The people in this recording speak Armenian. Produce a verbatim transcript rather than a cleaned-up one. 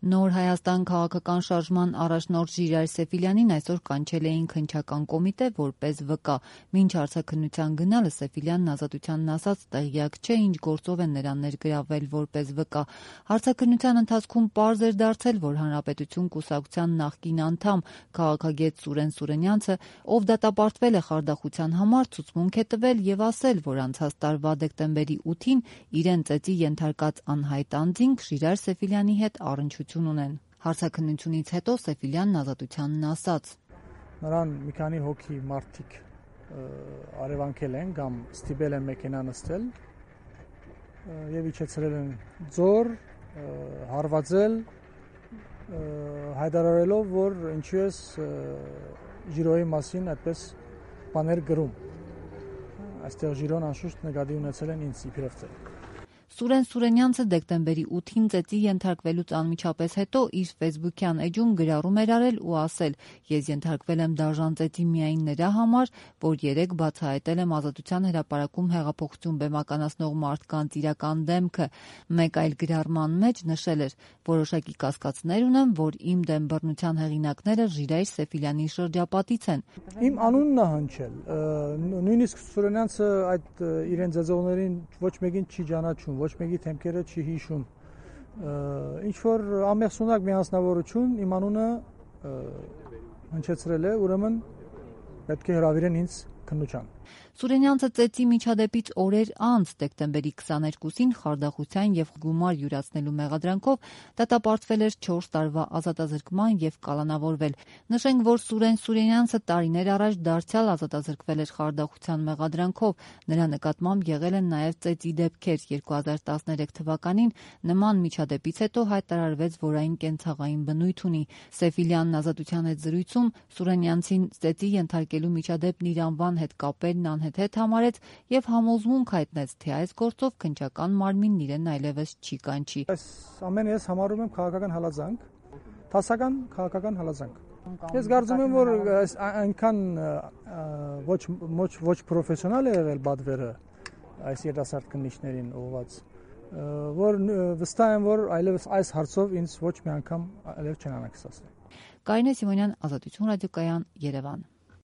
Նոր Հայաստան քաղաքական շարժման առաջնորդ Ժիրայր Սեֆիլյանին այսօր կանչել էին քննչական կոմիտե որպես վկա։ Մինչ հարցաքննության գնալը Սեֆիլյանն Ազատությանն ասաց տեղյակ չէ ինչ գործով են նրան ներգրավել որպես վկա։ Հարցաքննության ընթացքում պարզ էր դարձել, որ Հանրապետություն կուսակցության նախկին անդամ քաղաքագետ Սուրեն Սուրենյանցը, ով դատապարտվել է խարդախության համար, ցուցմունք է տվել եւ ասել, որ անցած տարվա դեկտեմբերի ութին իրեն ծեծի ենթարկած անհայտ անձինք Ժիրայր Սեֆիլյանի հետ առնչություն ունեն։ Հարցաքննությունից հետո Սեֆիլյանն Ազատությանն ասաց. Նրան մի քանի հոգի մարդիկ արևանքել են կամ ստիպել են մեքենա նստել եւ իջեցրել են ձոր, հարվածել, հայտարարելով, որ ինչու է Ժիրոյի մասին այդպես բաներ գրում։ Այստեղ Ժիրոն անշուշտ նկատի ունեցել են ինձ իբրև ծեր։ Սուրեն Սուրենյանցը դեկտեմբերի ութին ծեծի ենթարկվելուց անմիջապես հետո իր ֆեյսբուքյան էջում գրառում էր արել ու ասել. «Ես ենթարկվել եմ դաժան ծեծի միայն նրա համար, որ երեկ բացահայտել եմ Ազատության հրապարակում հեղափոխություն բեմականացնող մարդկանց իրական դեմքը»։ Մեկ այլ գրառման մեջ նշել էր. «Որոշակի կասկածներ ունեմ, որ իմ դեմ բռնության հեղինակները Ժիրայր Սեֆիլյանի շրջապատից են»։ Իմ անունն է հնչել։ Նույնիսկ Սուրենյանցը այդ իրեն ծեծողներին ոչ մեկին չի ճանաչում, ոչ մեկի թեմքերը չի հիշում։ Ինչ որ ամենասունակ մի անձնավորություն իմ անունը հնչեցրել է, ուրեմն պետք է հրավիրեն ինձ քննության։ Սուրենյանցը ծեծի միջադեպից օրեր անց դեկտեմբերի քսաներկուսին խարդախության եւ գումար յուրացնելու մեղադրանքով դատապարտվել էր չորս տարվա ազատազրկման եւ կալանավորվել։ Նշենք, որ Սուրեն Սուրենյանցը տարիներ առաջ դարձյալ ազատազրկվել էր խարդախության մեղադրանքով։ Նրա նկատմամբ եղել են նաեւ ծեծի դեպքեր։ երկու հազար տասներեք թվականին նման միջադեպից հետո հայտարարվեց, որ այն կենցաղային բնույթ ունի։ Սեֆիլյանն Ազատության հետ զրույցում Սուրենյանցին ծեծի ենթարկելու միջադեպն իր անվան հետ կապելն անհեթեթ համարեց եւ համոզմունք հայտնեց, թե այս գործով քննչական մարմինն իրեն այլևս չի կանչի։ Այս ամենը ես համարում եմ քաղաքական հալածանք, դասական քաղաքական հալածանք։ Ես կարծում եմ, որ այնքան ոչ ոչ ոչ պրոֆեսիոնալ է եղել բադվերը այս երիտասարդ քննիչներին ուղղված, որ վստահ եմ, որ այլևս այս հարցով ինձ ոչ մի անգամ այլև չեն անակսացնի։ Կարինե Սիմոնյան, Ազատություն ռադիոկայան, Երևան։